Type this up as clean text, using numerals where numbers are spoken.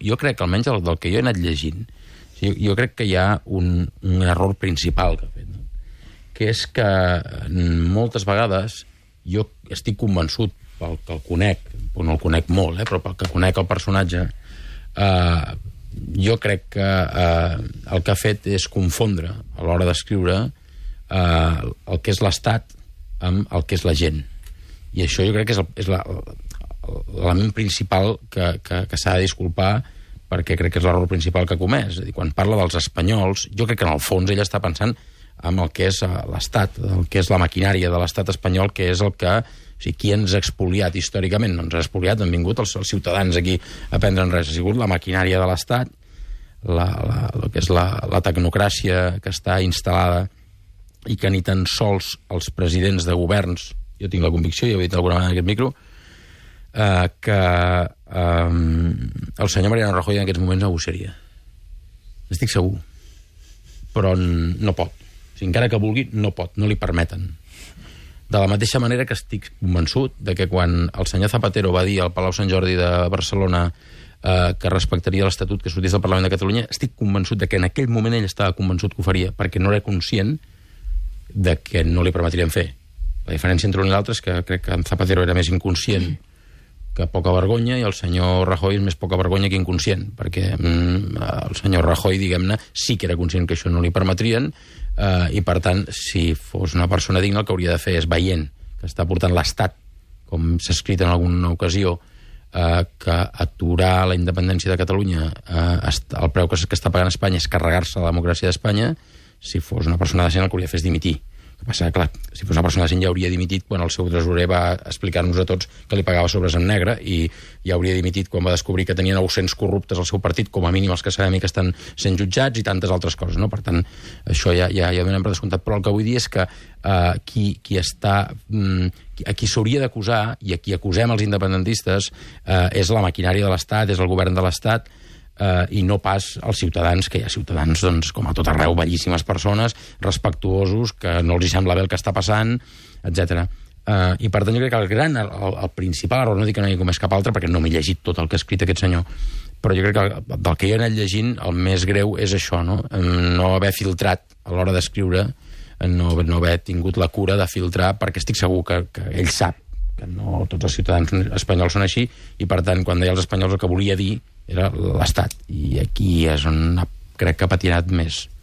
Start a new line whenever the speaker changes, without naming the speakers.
jo crec que almenys del que jo he anat llegint, jo crec que hi ha un error principal que ha fet, no? Que és que moltes vegades jo estic convençut, pel que el conec, no el conec molt, però pel que conec el personatge, jo crec que el que ha fet és confondre a l'hora d'escriure el que és l'Estat amb el que és la gent. I això jo crec que és l'element principal que s'ha de disculpar, perquè crec que és l'error principal que ha comès. És a dir, quan parla dels espanyols, jo crec que en el fons ell està pensant en el que és l'Estat, el que és la maquinària de l'Estat espanyol, que és el que... O sigui, qui ens ha expoliat històricament? No ens ha expoliat, han vingut els ciutadans aquí a prendre'n res. Ha sigut la maquinària de l'Estat, el que és la tecnocràcia que està instal·lada i que ni tan sols els presidents de governs, jo tinc la convicció, ja ho he dit d'alguna vegada en aquest micro, que el senyor Mariano Rajoy en aquests moments negociaria. Estic segur. Però no pot. O sigui, encara que vulgui, no pot, no li permeten. De la mateixa manera que estic convençut de que quan el senyor Zapatero va dir al Palau Sant Jordi de Barcelona que respectaria l'Estatut que sortís del Parlament de Catalunya, estic convençut de que en aquell moment ell estava convençut que ho faria, perquè no era conscient de que no li permetrien fer. La diferència entre un i l'altre és que crec que en Zapatero era més inconscient que poca vergonya, i el senyor Rajoy és més poca vergonya que inconscient, perquè el senyor Rajoy, diguem-ne, sí que era conscient que això no li permetrien, i per tant, si fos una persona digna, el que hauria de fer és, veient que està portant l'Estat, com s'ha escrit en alguna ocasió, que aturar la independència de Catalunya, el preu que està pagant Espanya és carregar-se la democràcia d'Espanya, si fos una persona decent el que hauria de fer és dimitir. El que passa, clar, si fos una persona decent ja hauria dimitit quan el seu tresorer va explicar-nos a tots que li pagava sobres en negre, i ja hauria dimitit quan va descobrir que tenia 900 corruptes al seu partit, com a mínim els que sabem que estan sent jutjats, i tantes altres coses, no? Per tant, això ja donem per descomptat. Però el que vull dir és que a qui s'hauria d'acusar, i a qui acusem els independentistes, és la maquinària de l'Estat, és el govern de l'Estat, i no pas els ciutadans, que hi ha ciutadans, doncs, com a tot arreu, bellíssimes persones, respectuosos, que no els hi sembla bé el que està passant, etc. I per tant jo crec que el principal error, no dic que no hi hagi com és cap altre, perquè no m'he llegit tot el que ha escrit aquest senyor, però jo crec que del que jo he anat llegint el més greu és això, no haver filtrat a l'hora d'escriure, no haver tingut la cura de filtrar, perquè estic segur que ell sap que no tots els ciutadans espanyols són així, i per tant quan deia els espanyols el que volia dir era l'Estat, i aquí és on crec que ha patinat més.